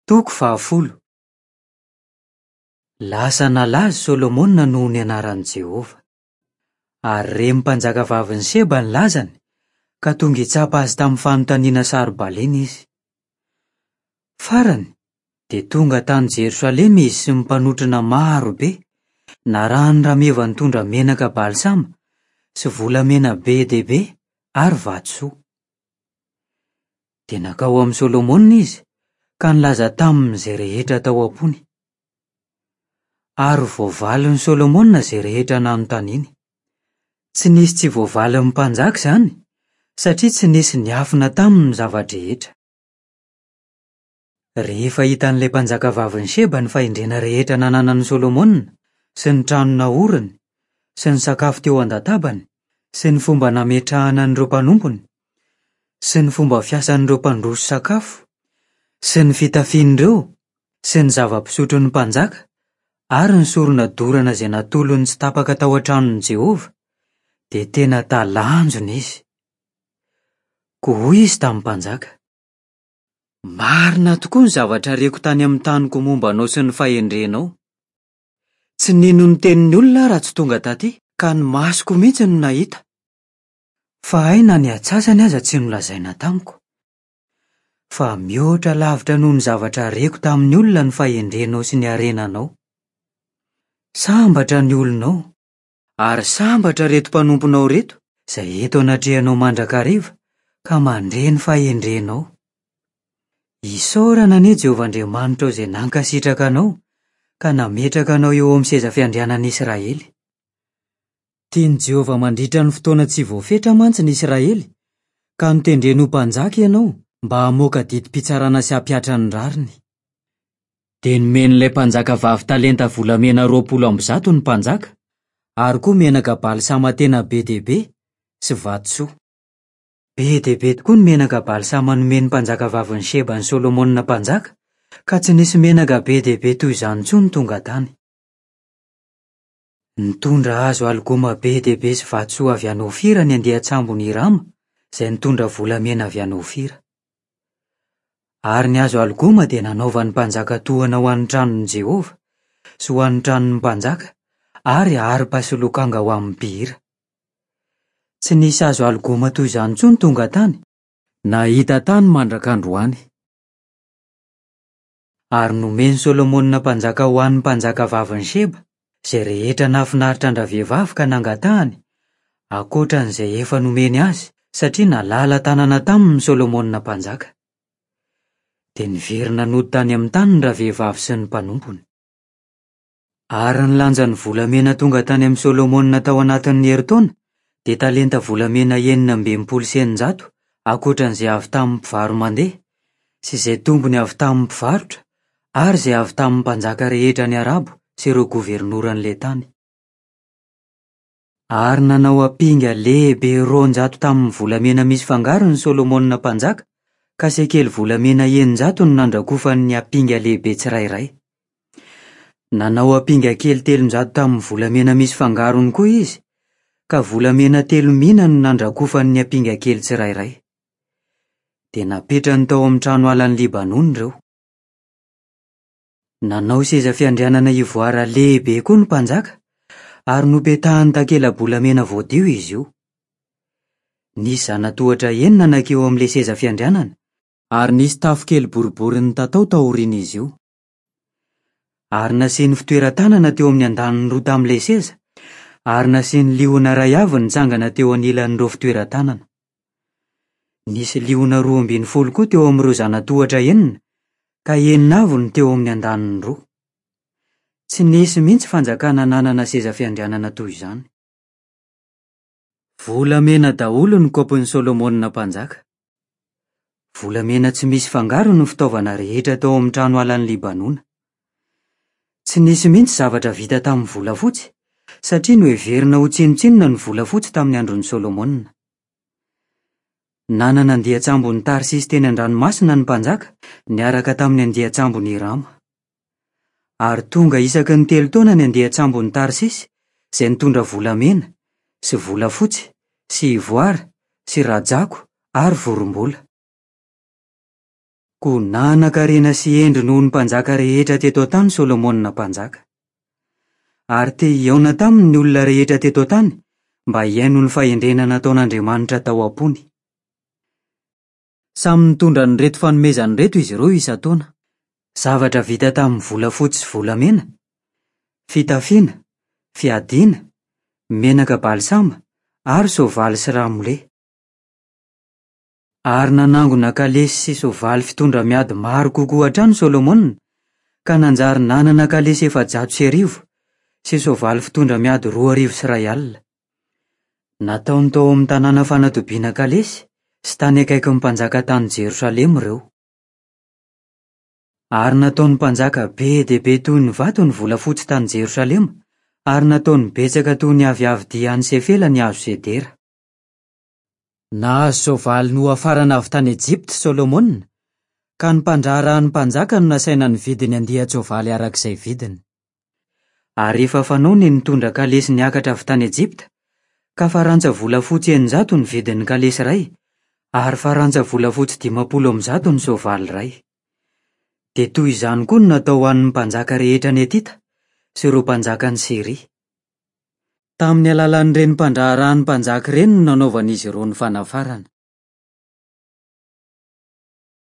Toko fahafolo. Lasa nalaza i Solomona noho ny anaran'i Jehovah. Ary ren'ny mpanjakavavin'i Sheba ny lazany, ka tonga hitsapa azy tamin'ny fanontaniana saro-balena izy. Farany, dia tonga tany Jerosalema izy sy ny mpanotrona maro be, narahin'ny rameva nitondra menaka balsama sy volamena be dia be ary vatosoa. Dia nankao amin'i Solomona izy ka nilaza taminy izay rehetra tao am-pony. Ary voavalin'i Solomona izay rehetra nanontaniany. Tsy nisy tsy voavalin'ny mpanjaka izany, satria tsy nisy niafina taminy ny zava-drehetra. Rehefa hitan'ilay mpanjakavavin'i Sheba ny fahendrena rehetra nananan'i Solomona, sy ny trano naoriny, sy ny sakafo teo an-databany, sy ny fomba nametrahana an'ireo mpanompony, sy ny fomba fiasan'ireo mpandroso sakafo, sy ny fitafian'ireo, sy ny zava-pisotron'ny mpanjaka, ary ny sorona dorana izay natolony tsy tapaka tao an-tranon'i Jehovah, dia tena talanjona izy. Koa hoy izy tamin'ny mpanjaka, Marina tokoa ny zavatra reko tany amin'ny taniko momba anao sy ny fahendrenao. Tsy nino ny tenin'ny olona aho raha tsy tonga taty, ka ny masoko mihitsy no nahita. Fa hay na ny antsasany aza tsy nolazaina tamiko. Fa mihoatra lavitra noho ny zavatra reko tamin'ny olona ny fahendrenao sy ny harenanao. Sambatra ny olonao, ary sambatra ireto mpanomponao ireto izay eto anatrehanao mandrakariva ka mandre ny fahendrenao. Isaorana anie Jehovah Andriamanitrao izay nankasitraka anao ka nametraka anao eo amin'ny seza fiandrianan'Israely. Tian'i Jehovah mandritra ny fotoana tsy voafetra mantsy ny Israely, ka notendreny ho mpanjaka ianao mba hamoaka didim-pitsarana sy hampihatra ny rariny. Dia nomen'ilay mpanjakavavy talenta volamena 120 ny mpanjaka, ary koa menaka balsama tena be dia be sy vatosoa. Be dia be tokoa ny menaka balsama nomen'ny mpanjakavavin'i Sheba an'i Solomona mpanjaka, ka tsy nisy menaka be dia be toy izany intsony tonga tany. Nitondra hazo algoma be dia be sy vatosoa avy any Ofira ny andian-tsambon'i Hirama, izay nitondra volamena avy any Ofira. Ary ny hazo algoma dia nanaovan'ny mpanjaka tohana ho an'ny tranon'i Jehovah, sy ho an'ny tranon'ny mpanjaka, ary harpa sy lokanga ho amin'ny mpihira. Tsy nisy hazo algoma toy izany intsony tonga tany, na hita tany mandraka androany. Ary nomen'i Solomona mpanjaka ho an'ny mpanjakavavin'i Sheba izay rehetra nahafinaritra an-dravehivavy ka nangatahany, ankoatra an'izay efa nomeny azy, satria nalala-tanana taminy Solomona mpanjaka. Dia niverina nody tany amin'ny taniny ravehivavy sy ny mpanompony. Ary ny lanjan'ny volamena tonga tany amin'i Solomona tao anatin'ny herintaona dia talenta volamena 666, ankoatra an'izay avy tamin'ny mpivaro-mandeha, sy izay tombony avy tamin'ny mpivarotra, ary izay avy tamin'ny mpanjaka rehetra any Arabo sy ireo governoran'ilay tany. Ary nanao ampinga lehibe 200 tamin'ny volamena misy fangarony Solomona mpanjaka, ka sekely volamena 600 no nandrakofany ny ampinga lehibe tsirairay. Nanao ampinga kely 300 tamin'ny volamena misy fangarony koa izy, ka volamena telo mina no nandrakofany ny ampinga kely tsirairay. Dia napetrany tao amin'ny trano alan'i Libanona ireo. Nanao seza fiandrianana ivoara lehibe koa ny mpanjaka, ary nopetahany takela-bolamena voadio izy io. Nisy zanatohatra enina nankeo amin'ilay seza fiandrianana, ary nisy tafo kely boribory nitatao taorian'izy io. Ary nasiany fitoeran-tanana teo amin'ny andaniny roa tamin'ilay seza, ary nasiany liona iray avy nitsangana teo anilan'ireo fitoeran-tanana. Nisy liona 12 koa teo amin'ireo zanatohatra enina, ka enina avy no teo amin'ny andaniny roa. Tsy nisy mihitsy fanjakana nanana seza fiandrianana toy izany. Volamena daholo ny kaopin'i Solomona mpanjaka. Volamena tsy misy fangarony ny fitaovana rehetra tao amin'ny trano alan'i Libanona. Tsy nisy mihitsy zavatra vita tamin'ny volafotsy, satria noheverina ho tsinontsinona ny volafotsy tamin'ny andron'i Solomona. Nanana andian-tsambon'i Tarsisy teny an-dranomasina ny mpanjaka, niaraka tamin'ny andian-tsambon'i Hirama. Ary tonga isaky ny telo taona ny andian-tsambon'i Tarsisy, izay nitondra volamena, sy volafotsy, sy ivoara, sy rajako ary vorombola. Koa nanan-karena sy hendry noho ny mpanjaka rehetra teto an-tany Solomona mpanjaka. Ary te hihaona taminy ny olona rehetra teto an-tany mba hihaino ny fahendrena nataon'Andriamanitra tao am-pony. Samy nitondra an'ireto fanomezana ireto izy ireo isan-taona, zavatra vita tamin'ny volafotsy sy volamena, fitafiana, fiadiana, menaka balsama ary soavaly sy ramole. Ary nanangona kalesy sy soavaly fitondra miady maro kokoa hatrany Solomona, ka nanjary nanana kalesy 1400 sy soavaly fitondra miady 2100. Nataony tao amin'ny tanàna fanatobiana kalesy sy tany akaikin'ny mpanjaka tany Jerosalema ireo. Ary nataon'ny mpanjaka be dia be toy ny vato ny volafotsy tany Jerosalema, ary nataony betsaka toy ny aviavidia any Sefela ny hazo sedera. Nahazo soavaly nohafarana avy tany Ejipta i Solomona, ka ny mpandraharahan'ny mpanjaka no nasaina nividy ny andian-tsoavaly araka izay vidiny. Ary efa fanao ny nitondra kalesy niakatra avy tany Ejipta, ka farantsa volafotsy 600 ny vidin'ny kalesy iray, ary farantsa volafotsy 150 ny soavaly iray. Dia toy izany koa no natao ho an'ny mpanjaka rehetra any Hetita sy ireo mpanjakan'i Syria. Tamin'ny alalan'ireny mpandraharahan'ny mpanjaka ireny no nanaovan'izy ireo ny fanafarana.